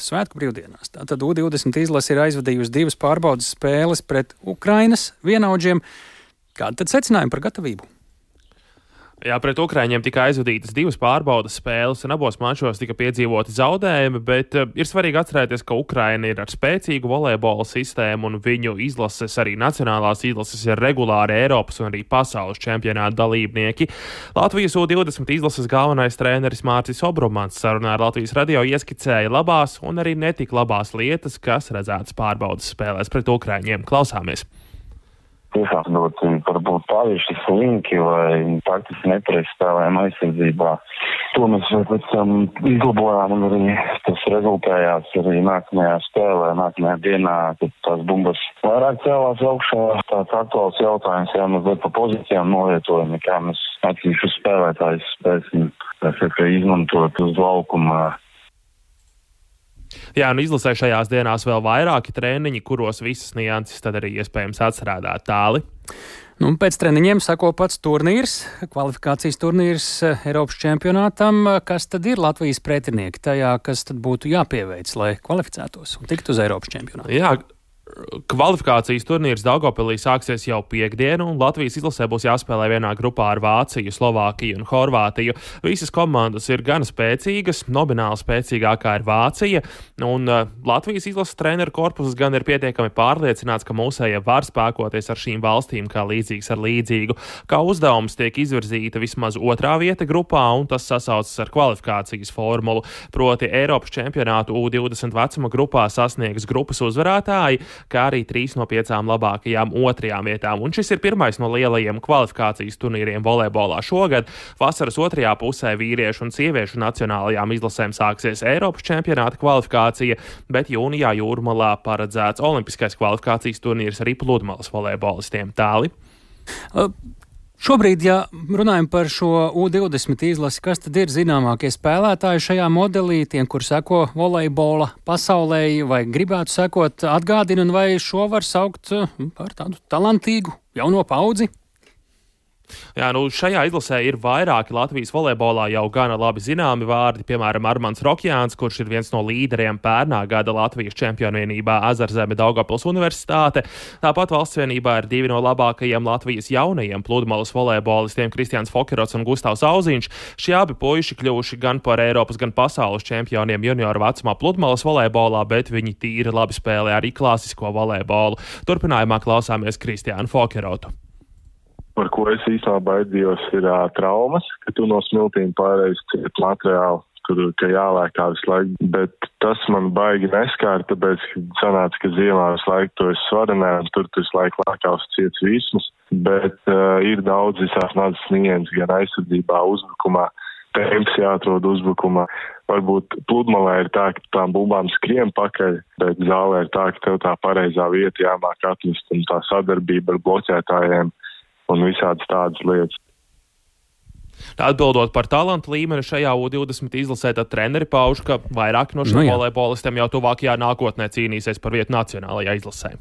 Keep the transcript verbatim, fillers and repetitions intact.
svētku brīvdienās. Tātad U divdesmit izlase ir aizvadījusi divas pārbaudas spēles pret Ukrainas vienaudžiem. Kādi tad secinājumi par gatavību? Jā, pret Ukraiņiem tika aizvadītas divas pārbaudas spēles, un abos mačos tika piedzīvoti zaudējumi, bet uh, ir svarīgi atcerēties, ka Ukraina ir ar spēcīgu volejbola sistēmu, un viņu izlases, arī nacionālās izlases, ir regulāri Eiropas un arī pasaules čempionāta dalībnieki. Latvijas U divdesmit izlases galvenais treneris Mārcis Obromans sarunā ar Latvijas radio ieskicēja labās un arī netik labās lietas, kas redzētas pārbaudas spēlēs pret Ukraiņiem. Klausāmies! Tiešām ļoti varbūt pārieši slinki vai taktiski nepareizi spēlējām aizsardzībā. To mēs pēc tam izlabojām un arī tas rezultējās arī nākamajā spēlē, nākamajā dienā, kad tās bumbas vairāk cēlās augšā. Tāds aktuāls jautājums, jā, mazliet pa pozīcijām novietojumi, kā mēs atsevišķus spēlētājus spēsim izmantot uz laukuma. Jā, un izlasē šajās dienās vēl vairāki treniņi, kuros visas nianses tad arī iespējams atstrādāt tāli. Nu, pēc treniņiem sako pats turnīrs, kvalifikācijas turnīrs Eiropas čempionātam. Kas tad ir Latvijas pretinieki tajā, kas tad būtu jāpieveic, lai kvalificētos un tiktu uz Eiropas čempionātu? Jā. Kvalifikācijas turnīrs Daugavpilī sāksies jau piekdienu, un Latvijas izlasē būs jāspēlē vienā grupā ar Vāciju, Slovākiju un Horvātiju. Visas komandas ir gan spēcīgas, nomināli spēcīgākā ir Vācija, un uh, Latvijas izlases treneru korpuses gan ir pietiekami pārliecināts, ka mūsējie var spēkoties ar šīm valstīm kā līdzīgs ar līdzīgu. Kā uzdevums tiek izvirzīta vismaz otrā vieta grupā, un tas sasaucas ar kvalifikācijas formulu, proti Eiropas čempionātu U divdesmit vecuma grupā sasniegs grupas uzvarētāji, kā arī trīs no piecām labākajām otrajām vietām. Un šis ir pirmais no lielajiem kvalifikācijas turnīriem volejbolā šogad. Vasaras otrajā pusē vīriešu un sieviešu nacionālajām izlasēm sāksies Eiropas čempionāta kvalifikācija, bet jūnijā Jūrmalā paredzēts olimpiskais kvalifikācijas turnīrs arī pludmales volejbolistiem. Tāli? Uh. Šobrīd, ja runājam par šo U divdesmit izlasi, kas tad ir zināmākie spēlētāji šajā modelī, tiem, kur seko volejbola pasaulē vai gribētu sekot, atgādina, un vai šo var saukt par tādu talantīgu jauno paudzi? Jā, nu šajā izlasē ir vairāki Latvijas volejbolā jau gana labi zināmi vārdi, piemēram, Armands Rokjāns, kurš ir viens no līderiem pērnā gada Latvijas čempionvienībā Ezerzeme Daugavpils Universitāte. Tāpat valsts vienībā ir divi no labākajiem Latvijas jaunajiem pludmales volejbolistiem Kristians Fokerots un Gustavs Auziņš. Šie abi puiši kļuvuši gan par Eiropas, gan pasaules čempioniem junioru vecumā pludmales volejbolā, bet viņi tīri labi spēlē arī klasisko volejbolu. Turpinājumā klausāmies Kristiānu Fokerotu. Par ko es īstenībā baidījos, ir uh, traumas, ka tu no smiltīm pārējais ciet materiālu, kur ka jālēkā visu laiku. Bet tas man baigi neskāra, tāpēc, ka sanāca, ka ziemā visu laiku to es svarenē, un tur tu visu laiku lēkās ciets vismas. Bet uh, ir daudz visās mazas nianses, gan aizsardzībā, uzbrukumā, temps jāatrod uzbrukumā. Varbūt pludmalē ir tā, ka tām bumbām skrien pakaļ, bet zālē ir tā, ka tev tā pareizā vieta jāmāk atrast, un tā sadarbība ar bloķētājiem un visādas tādas lietas. Atbildot par talantu līmeni šajā U divdesmit izlasē, tad treneri pauž, ka vairāk no šiem nu, volejbolistiem jau tuvākajā nākotnē cīnīsies par vietu nacionālajā izlasē.